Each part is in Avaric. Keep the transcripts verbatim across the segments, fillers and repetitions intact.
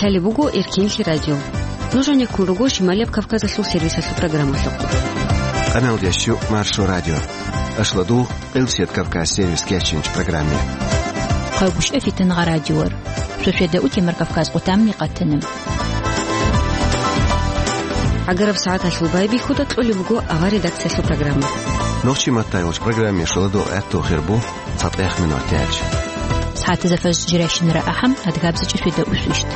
Гьале буго Эркенлъи радио. Нуж гьанеккун руго Шималияб Кавказалъул сервисалъул программалъухъ. Къаналдеш Маршо радио. Ашладу Къилсият Кавказ сервис кечинч программе. Къайгъушев Фитангъа радиор. Шошеда утемар Кавказ къутамни къатана. Агараб сагӀаталъул байбихьуда кьолеб буго авар редакциялъул программа. Нохчи маттайолч программе шаладу гӀатту хирбу. ЦатӀех минутач. СагӀатазда фажр жирайщинара ахӀам, адгабзачӀа шведа усвищт.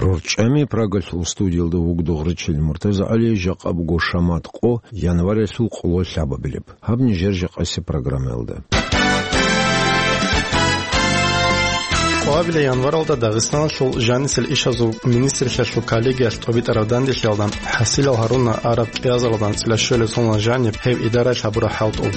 РорчӀами Прагалъул студиялда вугдугъричил МуртазагӀали, жакъа буго шамат къо, январялъул къоло лъабабилеб. Гьаб нижер жакъаси программаялда. Къоабилеб январалда Дагъистаналъул жанисел ишазул министрлъиялъул коллегиялъ тӀобитӀараб данделъиялда ХӀасилал Гьарунна араб кӀиазаралда анцӀила щолеб соналъ жаниб гьев идараялъ гьабураб хӀалтӀул.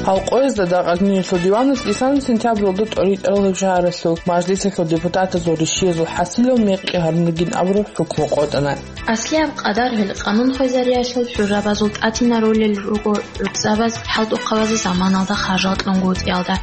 Гьал къоязда дагъазниялъул диваналъ исана сентябралда тӀоритӀарал гьеб шагьаралъул мажлисалъул депутатазул ришшиязул ХӀасилал мекъи гьарун ругин абураб хӀукму къотӀана. Аслияб къадар гьел къанун хвезариялъул хӀуррабазул тӀатина ролел руго гӀуцӀабаз хӀалтӀухъабазул заманалда харжал кьунгутӀиялда.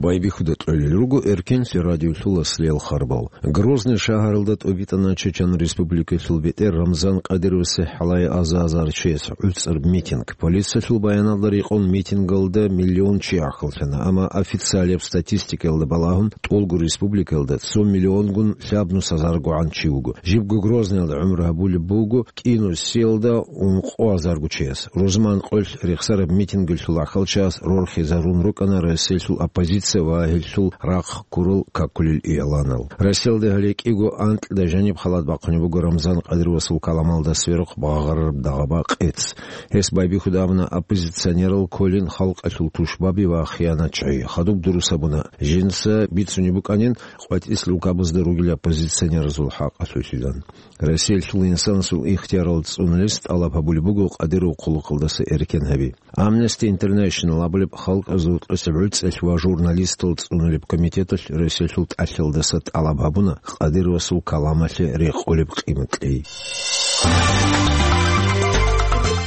Байбихьуда кьолел руго Эркенлъи радиолъул аслиял харбал. Грозный шагьаралда тӀобитӀана Чечен Республикалъул бетӀер Рамзан Кадыровасе хӀалае аза-азар чияс гӀуцӀараб митинг. Полициялъул баяналда рекъон митингалда миллион чи гӀахьаллъана, амма официалияб статистикаялда балагьун, тӀолго республикаялда цо миллионгун лъабнус азаргогӀан чи вуго. Жибго Грозныйалда гӀумру гьабулеб буго кӀинусиялда ункъо азарго чияс. Рузман къоялъ рехсараб митингалъул гӀахьалчияс рорхизарун рукӀана Россиялъул оппозиция ва гьелъул рахъ ккурал какулел игӀланал. Россиялда гьале кӀиго анкьида жаниб халат бахъунеб буго Рамзан Кадыровасул каламалда сверухъ багъарараб дагъба къец. Гьес байбихьуда абуна оппозиционерал кколин халкъалъул тушбаби ва хиянатчагӀи. Хадуб дурус абуна, жинца бицунеб букӀанин къватӀис лукабазда ругел оппозиционеразул хӀакъалъулъилан. Россиялъул инсанасул ихтиярал цӀунулес тӀалаб гьабулеб буго Кадыровил хъулухъалдаса эркен гьаби. Amnesty International абулеб халкъазул тӀоцебгӀуцӀелъ ва журналистал цӀунулеб комитеталъ Россиялъул тӀалъиялдаса тӀалаб гьабуна Кадыровасул каламалъе рекъолеб къимат кьей.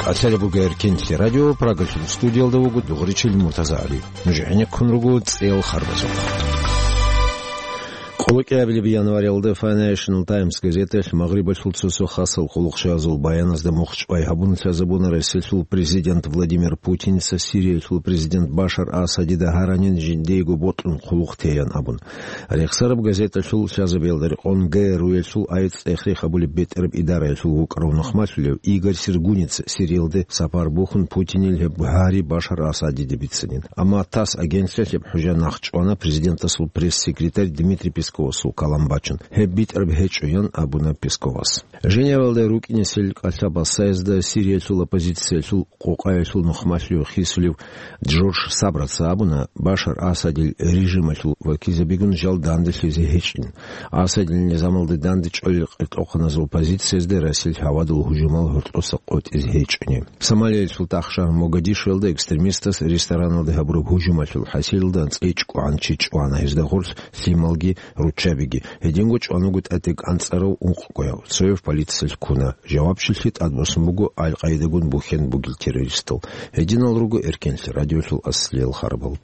КӀалъалеб буго Эркенлъи радио, Прагалъул студиялда вуго дугъричил МуртазагӀали. Нуж гӀенеккун руго цӀеял харбазухъ. Къоло кӀиабилеб январалда Financial Times газеталъ Магърибалъул цо-цо хасал къуллукъчагӀазул баяназда мухчӀвай гьабун лъазабуна Россиялъул президент Владимир Путинца Сириялъул президент Башар Асадида гьаранин жиндиего бокьун къуллукъ тейин абун. Рехсараб газеталъул лъазабиялда рекъон ГРУ-ялъул айцӀ цӀех-рех гьабулеб бетӀераб идараялъул вукӀарав нухмалъулев Игорь Сергуница Сириялде сапар бухьун Путинил гьеб гьари Башар Асадиде бицинин. Амма ТАСС агентствалъ гьеб хӀужа нахъчӀвана президентасул пресс-секретарь Дмитрий Песковасул калам бачун. Гьеб битӀараб гьечӀо, ян абуна Песковас. Женевалда рукӀинесел кӀалъа-басаязда Сириялъул оппозициялъул къокъаялъул нухмалъув хисулев Джордж Сабраца абуна, Башар Асадил режималъул вакилзабигун жал данделъизе гьечӀин. Асадил низамалда дандчӀвалел къеркьохъаназул позициязда Россиялъ гьавадул гьужумал гьоркьоса къотӀизе гьечӀони. Сомалиялъул тӀахшагьар Могадишуялда экстремистас рестораналда гьабураб гьужумалъул хӀасилалда анцӀила чӀукӀугӀан чи чӀвана, гьезда гъорлъ лъималги руччабиги. Гьединго чӀван вуго тӀатӀи кӀанцӀарав ункъгояв. Цояв полициялъ ккуна. Жавабчилъи тӀадбуссун буго Аль-Къаидагун бухьен бугел террористал. Гьединал руго Эркенлъи радиолъул аслиял харбал.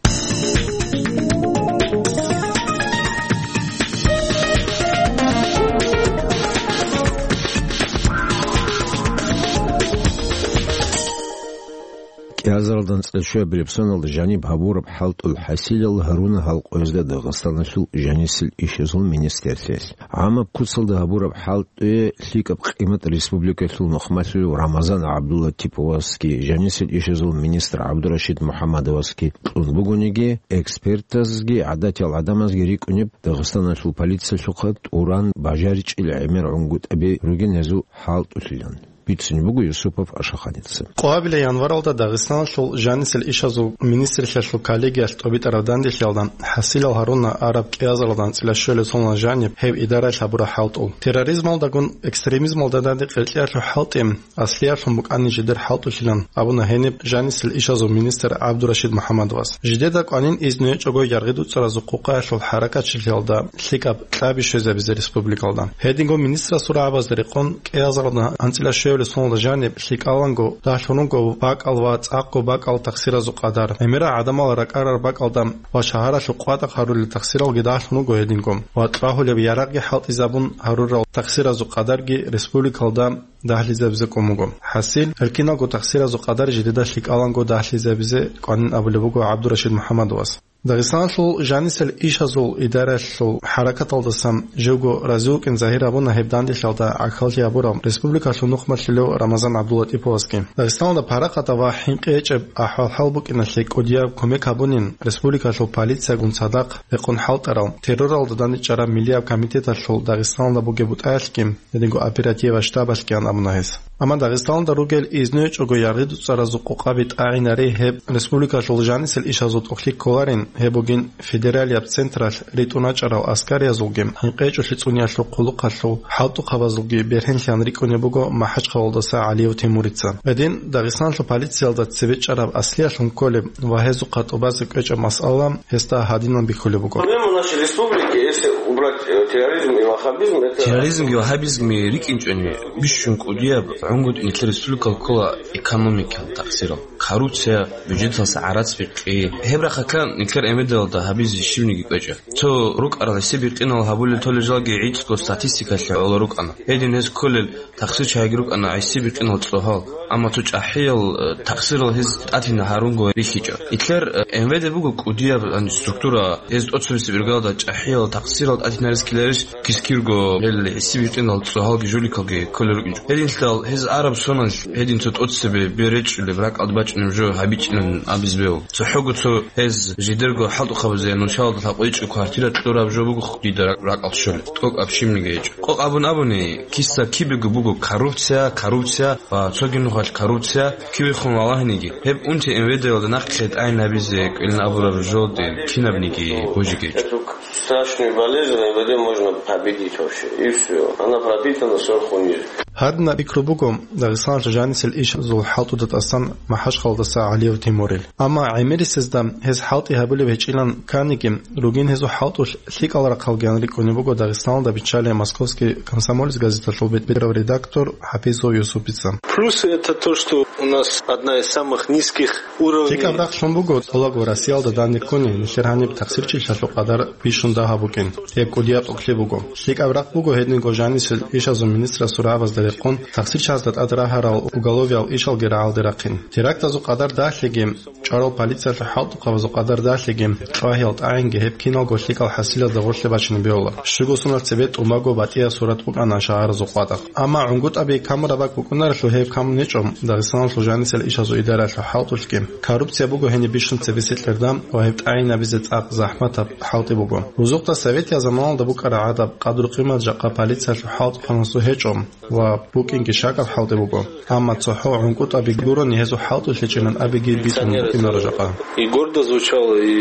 КӀиазаралда анцӀила щуабилеб соналда жаниб гьабураб хӀалтӀул хӀасилал гьаруна гьал къоязда Дагъистаналъул жанисел ишазул министрлъиялъ. ГӀамаб куцалда гьабураб хӀалтӀуе лъикӀаб къимат республикалъул нухмалъулев Рамазан ГӀабдулатиповасги жанисел ишазул министр ГӀабдурашид МухӀаммадовасги кьун бугониги, экспертазги гӀадатиял гӀадамазги рикӀкӀунеб Дагъистаналъул полициялъухъа тӀуран бажаричӀел гӀемер гӀунгутӀаби ругин гьезул хӀалтӀулъилан. Бицунеб буго Юсупов Ашаханица. Къоабилеб январалда Дагъистаналъул жанисел ишазул министрлъиялъул коллегиялъ тӀобитӀараб данделъиялда ХӀасилал Гьарунна араб кӀиазаралда анцӀила щолеб соналъ жаниб гьев идараялъ гьабураб хӀалтӀул. Терроризмалдагун экстремизмалда данде къеркьеялъул хӀалтӀи аслиялъун букӀани жидер хӀалтӀулъилан абуна гьениб жанисел ишазул министр ГӀабдурашид МухӀаммадовас. Жидеда кӀванин изну гьечӀого яргъи дуцӀаразул къукъаялъул хӀаракатчилъиялда лъикӀаб кьаби щвезабизе республикалда. Гьединго министрасул рагӀабазда рекъон кӀиазаралда анцӀила щуабилеб Гьеле суналда жаниб лъикӀаланго дагьлъун руго бакӀал ва цӀакъго бакӀал тахсиразул къадар. ГӀемерал гӀадамал ракӀарал бакӀалда ва шагьаралъул къватӀахъ гьарулел тахсиралги дагьлъун руго гьединго. Ва кьвагьулеб ярагъги хӀалтӀизабун гьарурал тахсиразул къадарги республикалда дагьлъизабизе кӀун буго. ХӀасил, гьел киналго тахсиразул къадар жидеда лъикӀаланго дагьлъизабизе кӀванин абулеб буго ГӀабдурашид МухӀаммадовас. Дагъистаналъул жанисел ишазул идараялъул хӀаракаталдасан живго рази вукӀин загьир гьабуна гьеб данделъалда гӀахьаллъи гьабурал республикалъул нухмалъулев Рамазан ГӀабдуллатӀиповасги. Дагъистаналда парахатаб ва хӀинкъи гьечӀеб ахӀвал-хӀал букӀиналъе кӀудияб кумек гьабунин республикалъул полициягун цадахъ рекъон хӀалтӀарал, терроралда дандечӀараб миллияб комитеталъул Дагъистаналда бугеб бутӀаялъги, гьединго оперативаб штабалъгиян абуна гьес. Амма Дагъистаналда ругел изну гьечӀого яргъи-дуцӀаразул къокъаби тӀагӀинаре гьеб республикалъул жанисел ишазул тӀохлъи кколарин, гьеб бугин федералияб централъ ритӀун рачӀарал аскариязулги, хӀинкъи гьечӀолъи цӀуниялъул хъулухъалъул хӀалтӀухъабазулги бергьенлъан рикӀкӀунеб буго МахӀачхъалалдаса ГӀалиев Тимурица. Гьедин Дагъистаналъул полициялда цебе чӀараб аслиялъун кколеб ва гьезухъа тӀубазе кӀвечӀеб масъала гьесда гьадинан бихьулеб буго. Проблема нашей республики, если убрать, э, терроризм и ваххабизм, это... Терроризмги ваххабизмги рикӀкӀинчӀони, бищун кӀудияб гӀунгутӀи нилъер республикалъ ккола экономикал тахсирал, коррупция, бюджеталъа гӀарац бихъи. Гьеб рахъалъан нилъер МВД-алда гьабизе щибниги кӀвечӀо. Цо рукӀарал гӀиси-бикъинал гьабулел толел жалги гӀицӀго статистикалъе гӀоло рукӀана. Гьедин гьез кколел тахсирчагӀиги рукӀана гӀиси-бикъинал цӀогьал. Амма цо чӀахӀиял, э, тахсирал гьез тӀатина гьарунго рихьичӀо. Итлъер, э, МВД буго кӀудияб, ан, структура, гьез тӀоцебесеб иргалда чӀахӀиял тахсирал тӀатинарес ккеларищ кискирго гьел гӀиси-бикъинал цӀогьалги жуликалги кколел рукӀинчӀо. Гьединлъидал гьез араб соналъ гьедин цо тӀоцебе бер речӀчӀулеб, ракӀалда бачӀунеб жо гьабичӀилан абизе бегьу. ЦохӀого цо гьез жидерго хӀалтӀухъабазе нушалда лъабкъойчӀеб квартира кьураб жо буго дида ракӀалде щолеб. ТӀокӀаб щибниги гьечӀо. Къокъ абун абуни, киса кибего буго коррупция, коррупция ва цоги нухалъ коррупция, кибехун валагьиниги, гьеб унти МВД-ялда нахъе тӀагӀинабизе кӀвелин абураб жолдин кинабниги божи гьечӀо. Эту страшную болезнь МВД можно победить вообще. И всё. Она пропитана сверху вниз. Гьадинаб пикру буго Дагъистаналъул жанисел ишазул хӀалтӀуда тӀасан МахӀачхъалалдаса ГӀалиев Тимурил. Амма гӀемерисезда гьез хӀалтӀи гьабулеб гьечӀилан кканиги, ругин гьезул хӀалтӀулъ лъикӀал рахъалгиян рикӀкӀунеб буго Дагъистаналда биччалей «Московский комсомолец» газеталъул бет-, бетӀерав редактор ХӀапизов Юсупица. Плюсы — это то, что у нас одна из самых низких уровней. ЛъикӀаб рахълъун буго цӀолаго Россиялда данде ккуни нилъер гьаниб тахсирчилъалъул къадар бищун дагьаб букӀин, гьеб кӀудияб тӀокӀлъи буго. ЛъикӀаб рахъ буго гьединго жанисел ишазул министрасул рагӀабазда рекъон тахсирчазда тӀад рагьарал уголовиял ишалги рагӀалде рахъин. Терактазул къадар дагьлъиги, чӀварал полициялъул хӀалтӀухъабазул къадар дагьлъиги, кьвагьиял тӀагӀинги гьеб киналго лъикӀал хӀасилалда гъорлъе бачине бегьула. Щуго суналъ цебе тӀубаго батӀиял сурат букӀана шагьаразул къватӀахъ. Амма гӀунгутӀаби камураб бакӀ букӀунарелъул гьеб камун гьечӀо, Дагъистаналъул жанисел ишазул идараялъул хӀалтӀулъги. Коррупция буго гьениб бищун цебесеб кьердан ва гьеб тӀагӀинабизе цӀакъ захӀматаб хӀалтӀи буго. Бузухъда советиял заманалда букӀараб гӀадаб къадру-къимат жакъа полициялъул хӀалтӀухъанасул гьечӀо ва букӀинги щакӀаб хӀалтӀи буго. Амма цохӀо гӀунгутӀаби гурони гьезул хӀалтӀулъ гьечӀилан абиги битӀун букӀинаро жакъа. И гордо звучало, и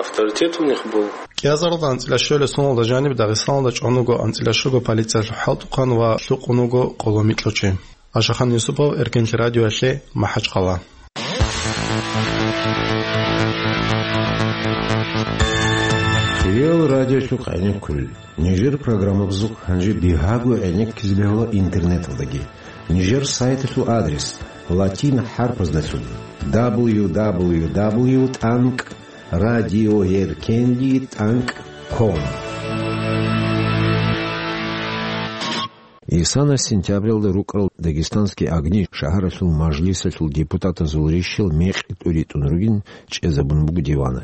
авторитет у них был. КӀиазаралда анцӀила щуялъул суналда жаниб Дагъистаналда чӀун вуго анцӀила щуго полициялъул хӀалтӀухъан ва лъукъун вуго къоло микьго чи. Ашахан Юсупов, Эркенлъи радиоялъе, МахӀачхъала. Реал радиолъухъ гӀенеккун кколел нижер программабазухъ гьанже бигьаго гӀенеккизе бегьула интернеталдаги. Нижер сайталъул адрес латин хӀарпаздалъун: дабл ю дабл ю дабл ю тӀанкӀ радиоэркенлъи тӀанкӀ ком. Исана сентябралда рукӀарал «Дагестанские огни» шагьаралъул мажлисалъул депутатазул рищал мекъи тӀуритӀун ругин чӀезабун буго диваналъ.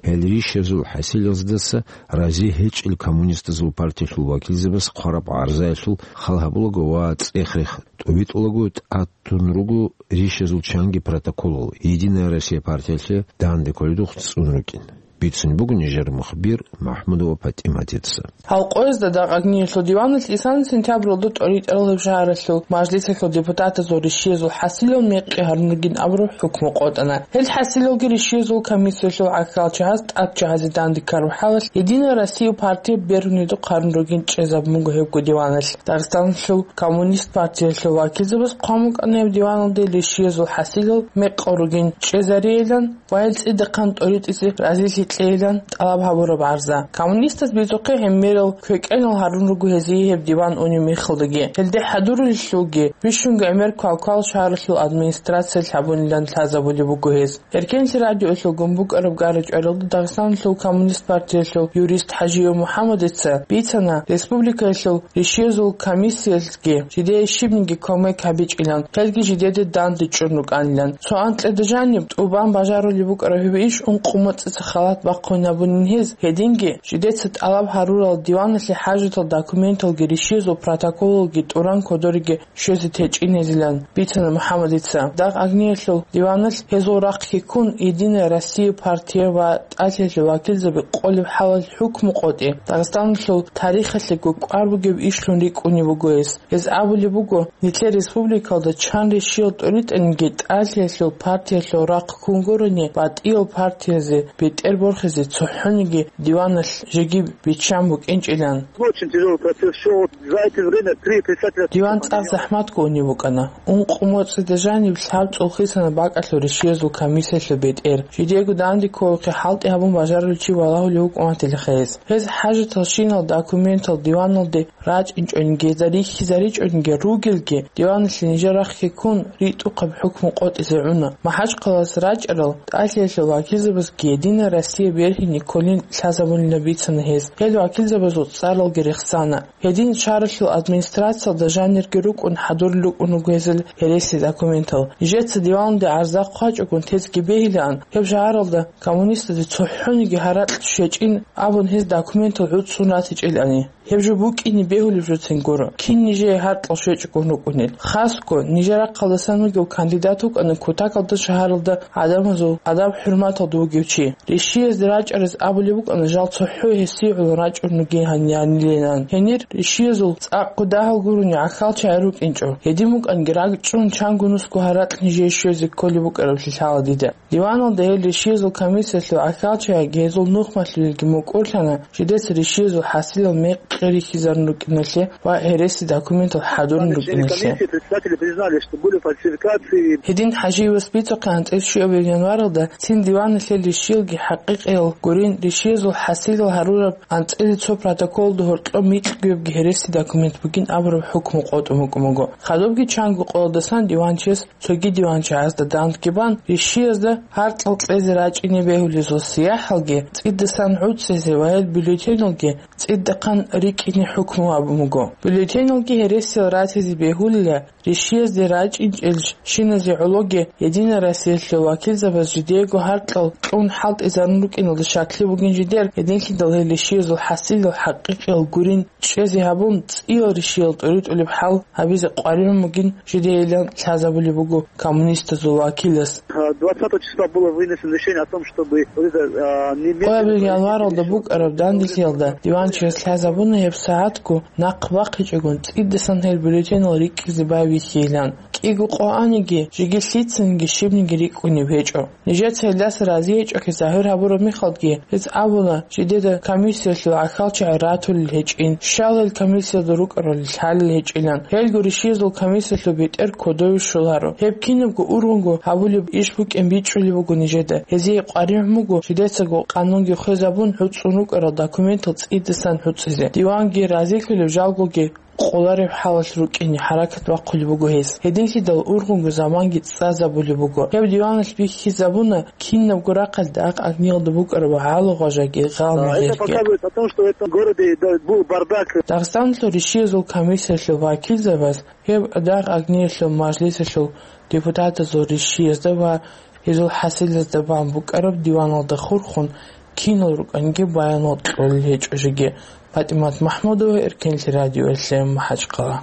Гьел рищазул хӀасилаздаса рази гьечӀел коммунистазул партиялъул вакилзабаз хъвараб гӀарзаялъул хал гьабулаго ва цӀех-рех тӀубитӀулаго тӀад тун руго рищазул чанги протоколал «Единая Россия» партиялъе данде кколедухъ цӀун рукӀин. Бицун буго нижер мухбир МахӀмудова ПатӀиматица. Гьал къоязда дагъ агниялъул диваналъ исана сентябралда тӀоритӀаралъуб шагьаралъул мажлисалъул депутатазул рищиязул хӀасилал мекъи гьарун ругин абураб хӀукму къотӀана. Гьел хӀасилалги рищиязул комиссиялъул гӀахьалчагьаз тӀадчагьазе данде ккараб хӀалалъ «Единая Россия» партия бергьунедухъ гьарун ругин чӀезабун буго гьебго диваналъ. Дагъистаналъул коммунист партиялъул вакилзабаз хъван букӀана гьеб диваналде рищиязул хӀасилал мекъал ругин чӀезариялан ва гьел цӀидахъан тӀоритӀизе разилъи кьейилан тӀалаб гьабураб гӀарза. Коммунистаз бицухъе гьеб мерал квекӀенал гьарун руго гьезие гьеб диван унеб мехалдаги. Гьелде хӀадурулелъулги бищунго гӀемер квалквал шагьаралъул администрациялъ гьабунилан лъазабулеб буго гьез. Эркенлъи радиоялъул гун букӀараб гара-чӀваралда Дагъистаналъул коммунист партиялъул юрист ХӀажиев МухӀаммадица бицана, республикаялъул ришиязул комиссиялъги жидее щибниги кумек гьабичӀилан, гьелги жидеде данде чӀун рукӀанилан. Цо анкьида жаниб тӀубан бажарулеб букӀараб гьеб иш ункъо моцӀица халат бахъун гьабунин гьез, гьединги жидеца тӀалаб гьарурал диваналъе хӀажатал документалги ришиязул протоколалги тӀуран кодориги щвезе течӀинезилан бицана МухӀаммадица. Дагъ агниялъул диваналъ гьезул рахъги ккун, «Единая Россия» партия ва ТӀалъиялъул вакилзаби къолеб хӀалалъ хӀукму къотӀи, Дагъистаналъул тарихалъего кӀвар бугеб ишлъун рикӀкӀунеб буго гьес. Гьез абулеб буго, нилъер республикалда чан ришиял тӀуритӀаниги ТӀалъиялъул партиялъул рахъ ккун гурони, батӀиял партиязе бетӀер борхизе цохӀониги диваналъ жеги биччан букӀинчӀилан. Очень тяжелый процесс шёл. За это время три председателя... Диван цӀакъ захӀматго унеб букӀана. Ункъо моцӀида жаниб лъабцӀул хисана бакӀалъул ришиязул комиссиялъул бетӀер. Жидего данде кколухъе хӀалтӀи гьабун бажарулев чи валагьулев вукӀун ватила гьез. Гьез хӀажаталщинал документал диваналде рачӀинчӀониги, гьезда рихьизаричӀониги ругелги, диваналъе нижер рахъги ккун, ритӀухъаб хӀукму къотӀизе гӀуна. МахӀачхъалаялъ рачӀарал ТӀалъиялъул вакилзабазги «Единая Россия» бергьине кколин лъазабунилан бицана гьез. Гьел вакилзабазул цӀаралги рехсана. Гьедин шагьаралъул администрациялда жанирги рукӀун хӀадурулел рукӀун руго гьезул гьереси документал. Нижеца диваналде гӀарза хъвачӀогун тезеги бегьилаан, гьеб шагьаралда коммунистазе цохӀониги гьаракь щвечӀин абун гьез документал гӀуцӀцӀун ратичӀилани. Гьеб жо букӀине бегьулеб жоцин гуро, кин нижее гьаркьал щвечӀогун рукӀунел. Хасго, нижер рахъалдасан вугев кандидат вукӀана кутакалда шагьаралда гӀадамазул адаб-хӀурматалда вугев чи. Ришиязде рачӀараз абулеб букӀана жал цохӀо гьесие гӀоло рачӀун ругин гьанир гьанилилан. Гьенир ришиязул цӀакъго дагьал гурони гӀахьалчагӀи рукӀинчӀо. Гьедин букӀанги ракӀчӀун чанго нусго гьаракь нижее щвезе кколеб букӀараблъи лъала дида. Диваналда гьел ришиязул комиссиялъул гӀахьалчагӀиги гьезул нухмалъулелги мукӀурлъана, жидеца ришиязул хӀасилал мекъи рихьизарун рукӀиналъе ва гьереси документал хӀадурун рукӀиналъе. Комиссии председатели признали, что были фальсификации. Гьедин ХӀажиевас бицухъе анцӀила щуабилеб январалда цин диваналъе ришиялги хӀакъикъиял гурин, ришиязул хӀасилал гьарураб анцӀила цо протоколалда гьоркьоб микьгоябги гьереси документ бугин абураб хӀукму къотӀун букӀун буго. Хадубги чанго къоялдасан диванчияс цоги диванчагӀазда дандги бан, ришиязда гьаркьал кьезе рачӀине бегьулезул сияхӀалги цӀидасан гӀуцӀизе ва гьел бюллетеналги цӀидахъан рикӀкӀине хӀукму гьабун буго. Бюллетеналги гьересиял ратизе бегьулила, ришиязде рачӀинчӀел шиназе гӀологи Единая Россиялъул вакилзабаз жидеего гьаркьал кьун хӀалтӀизарун рукӀиналда щаклъи бугин жидер, гьединлъидал гьел ришиязул хӀасилал хӀакъикъиял гурин чӀезе гьабун, цӀиял ришиял тӀуритӀулеб хӀал гьабизе къваригӀун бугин жидейилан лъазабулеб буго коммунистазул вакилас. Двадцатого числа было вынесено решение о том, чтобы вот это, а, немедленно... Къоабил январалда букӀараб данделъиялда диванчияс лъазабуна гьеб сагӀатго нахъ бахъичӀогун цӀидасан гьел бюллетенал рикӀкӀизе байбихьейилан. КӀиго къо аниги, жеги лъицаниги щибниги рикӀкӀунеб гьечӀо. Нижеца гьелдаса разиячӀухъе загьир гьабураб мехалдги, гьез абуна, жидеда комиссиялъул гӀахьалчагӀи ратулел гьечӀин, щал гьел комиссиялда рукӀарал лъалел гьечӀилан. Гьелго ришиязул комиссиялъул бетӀер кодове щоларо. Гьеб кинабго ургъунго гьабулеб иш букӀин бичӀчӀулеб буго нижеда. Гьезие къваригӀун буго жидецаго къанунги хвезабун гӀуцӀун рукӀарал документал цӀидасан гӀуцӀизе. Диванги разилъулеб, жалгоги къолареб хӀалалъ рукӀине хӀаракат бахъулеб буго гьез. Гьединлъидал ургъунго заманги цӀазабулеб буго. Гьеб диваналъ бихьизабуна кинабго рахъалда дагъ-агниялда букӀараб гӀалагъважаги гъалмагъирги. Это показывает о том, что в этом городе, да, был бардак. Дагъистаналъул ришиязул комиссиялъул вакилзабаз гьеб дагъ-агниялъул мажлисалъул депутатазул ришиязда ва гьезул хӀасилазда бан букӀараб диваналда хурхун кинал рукӀанги баянал кьолел гьечӀо жеги. ПатӀимат МахӀмудова, Эркенлъи радио, М М М, МахӀачхъала.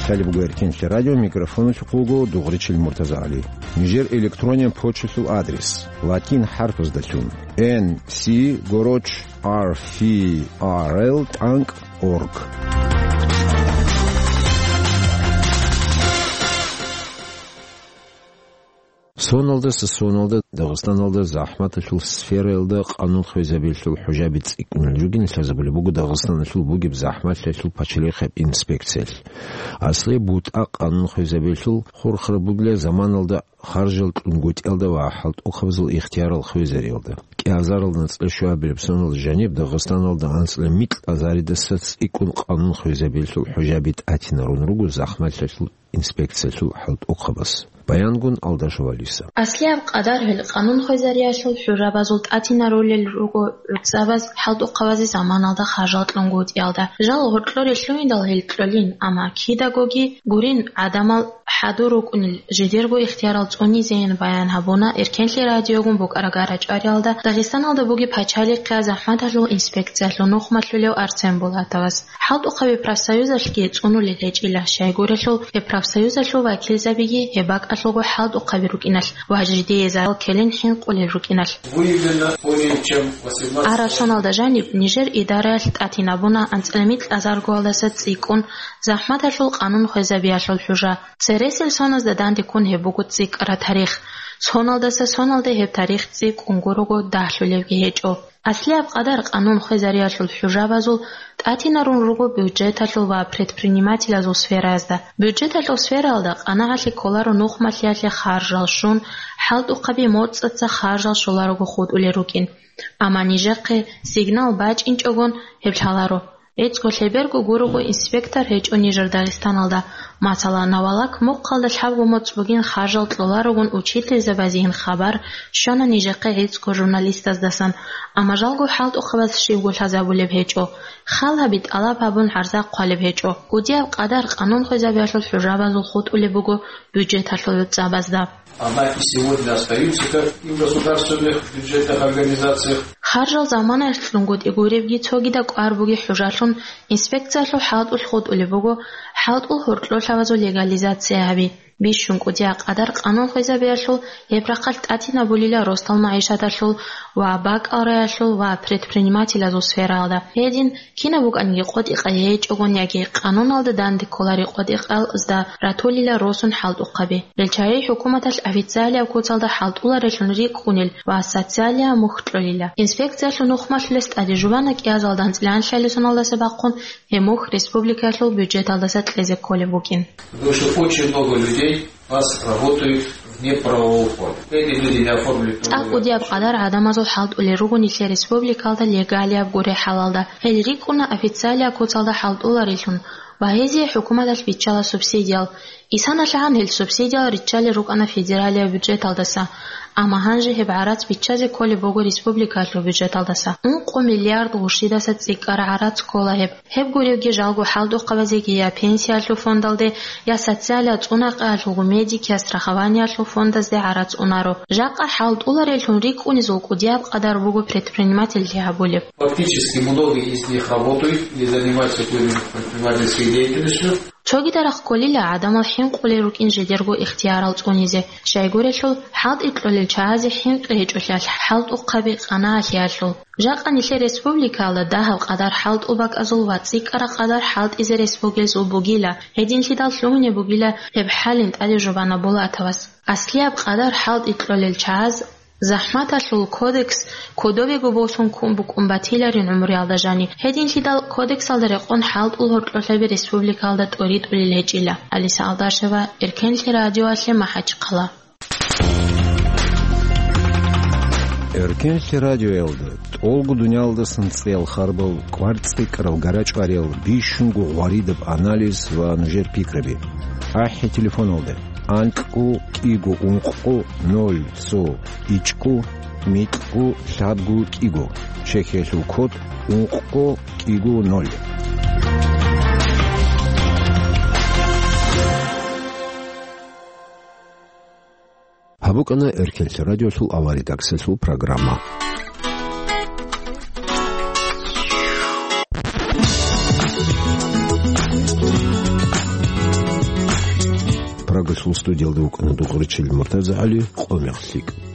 Лъалеб буго Эркенлъи радио, микрофоналъухъ вуго Дугъричил МуртазагӀали. Нижер электронен почталъул адрес: латин хӀарпаздалъун, Н С гороч R F R L тӀанкӀ орг. Соналдаса соналда Дагъистаналда захӀматалъул сфераялда къанун хвезабиялъул хӀужаби цӀикӀкӀунел ругин лъазабулеб буго Дагъистаналъул бугеб захӀмалъиялъул пачалихъеб инспекциялъ. Аслияб бутӀа къанун хвезабиялъул хурхараб бугила заманалда харжал кьунгутӀиялда ва хӀалтӀухъабазул ихтиярал хвезариялда. КӀиазаралда анцӀила щуабилеб соналда жаниб Дагъистаналда анцӀила микьазаридаса цӀикӀкӀун къанун хвезабиялъул хӀужаби тӀатинарун руго захӀмалъиялъул инспекциялъул хӀалтӀухъабаз. Баянгун Алдашев Алиса. Аслияб къадар гьел къанун хвезариялъул хӀужабазул тӀатинарулел руго гӀуцӀабаз хӀалтӀухъабазе заманалда харжал кьунгутӀиялда. Жал гьоркьоре лъугьиндал гьел кьолин, амма кидагоги гурин, гӀадамал хӀадур рукӀунел жидерго ихтиярал цӀунизейин баян гьабуна Эркенлъи радиогун букӀарагара чӀвариялда Дагъистаналда бугеб пачалихъе захӀматалъул инспекциялъул нухмалъулев Арсен Булатовас. ХӀалтӀухъаби профсоюзалъги цӀунулел гьечӀила, щайгурелъул гьеб профсоюзалъул вакилзабиги гьеб бакӀалъулго хӀалтӀухъаби рукӀиналъ ва жидее зарал ккелин хӀинкъулел рукӀиналъ. Выявлено более чем восемнадцать. Араб соналда жаниб нижер идараялъ тӀатинабуна анцӀила микьазаргоялдаса цӀикӀкӀун захӀматалъул къанун хвезабиялъул хӀужа. Цересел соназда данде ккун гьеб буго цӀикӀкӀараб тарих. Соналдаса соналде гьеб тарих цӀикӀкӀун гурого дагьлъулебги гьечӀо. Аслияб къадар къанун хвезариялъул хӀужабазул тӀатинарун руго бюджеталъул ва предпринимателазул сфераязда. Бюджеталъул сфераялда къанагӀалъи кколаро нухмалъиялъе харжал щун, хӀалтӀухъаби моцӀаца харжал щоларого хутӀулел рукӀин. Амма нижехъе сигнал бачӀинчӀогон гьеб лъаларо. ГӀицӀго лъеберго гурого инспектор гьечӀо нижер Дагъистаналда. Масала, Навалак мухъалда лъабго моцӀ бугин харжал кьоларогун учительзабазейин хабар щвана нижехъе гӀицӀго журналистаздасан, амма жалго хӀалтӀухъабаз щибго лъазабулеб гьечӀо, хал гьаби тӀалаб гьабун гӀарза хъвалеб гьечӀо. КӀудияб къадар къанун хвезабиялъул хӀужабазул хутӀулеб буго бюджеталъул гӀуцӀабазда. Однако сегодня остаются как и в государственных бюджетных организациях. Харжал заманаялъ кьунгутӀи гуребги цогидаб кӀвар буги хӀужалъун инспекциялъул хӀалтӀулъ хутӀулеб буго хӀалтӀул гьоркьолъабазул легализация гьаби. Бищун кӀудияб къадар къанун хвезабиялъул гьеб рахъалъ тӀатинабулила росдал магӀишаталъул ва бакӀал раялъул ва предпринимателазул сфераялда. Гьедин, кинаб букӀаниги къотӀи-къайи гьечӀогон яги къануналда данде кколари къотӀи-къайзда ратулила росун хӀалтӀухъаби. Гьел чагӀи хӀукуматалъ официалияб куцалда хӀалтӀуларелъун рикӀкӀунел ва социалияб мухь кьолила. Инспекциялъул нухмалъулес тӀаде жубана кӀиазалда анцӀила анлъабилеб соналдаса бахъун гьеб мухь республикаялъул бюджеталдаса кьезе кколеб букӀин. Потому что очень много людей у нас работают вне правового поля. Эти люди не оформлены трудовые. ЦӀакъ кӀудияб къадар гӀадамазул хӀалтӀулел руго нилъер республикалда легалияб гуреб хӀалалда. Гьел рикӀкӀуна официалияб куцалда хӀалтӀуларелъун ва гьезие хӀукуматалъ биччала субсидиял. ИсаналъагӀан гьел субсидиял риччалел рукӀана федералияб бюджеталдаса, амма гьанже гьеб гӀарац биччазе кколеб буго республикаялъул бюджеталдаса. Ункъо миллиард гъурщидаса цӀикӀкӀараб гӀарац ккола гьеб. Гьеб гуребги жалго хӀалтӀухъабазеги я пенсиялъул фондалде, я социалияб цӀунахъеялъулго медикиял страхованиялъул фондазде гӀарац унаро. Жакъа хӀалтӀулареллъун рикӀкӀунезул кӀудияб къадар буго предпринимательлъи гьабулеб. Фактически многие из них работают или занимаются какой-нибудь предпринимательской деятельностью. Цогидарахъ кколила гӀадамал хӀинкъулел рукӀин жидерго ихтиярал цӀунизе, щайгурелъул хӀалтӀи кьолел чагӀазе хӀинкъи гьечӀолъиялъ хӀалтӀухъаби къанагӀалъиялъул. Жакъа нилъер республикаялда дагьаб къадар хӀалтӀул бакӀазул ва цӀикӀкӀараб къадар хӀалтӀизе рес бугезул бугила, гьединлъидал лъугьунеб бугила гьеб хӀалин тӀаде жубана Булатовас. Аслияб къадар хӀалтӀи кьолел чагӀаз ЗахӀматалъул кодекс кодовего босун ккун букӀун батиларин гӀумруялда жани. Гьединлъидал кодексалда рекъон хӀалтӀул гьоркьолъаби республикаялда тӀоритӀулел гьечӀила. Алиса Алдашева, Эркенлъи радиоялъе, МахӀачхъала. Эркенлъи радиоялда тӀолго дуниялдасан цӀеял харбал, кӀвар цӀикӀкӀарал гарачӀвариял, бищунго гъваридаб анализ ва нужер пикраби. АхӀи телефоналда: анкьго кӀиго ункъго ноль цо ичӀго микьго лъабго кӀиго, Чехиялъул код ункъго кӀиго ноль. Гьаб букӀана Эркенлъи радиолъул аваридаксалъул программа. Прагалъул студиялда вукӀана Дугъричил МуртазагӀали, къо мех лъикӀ.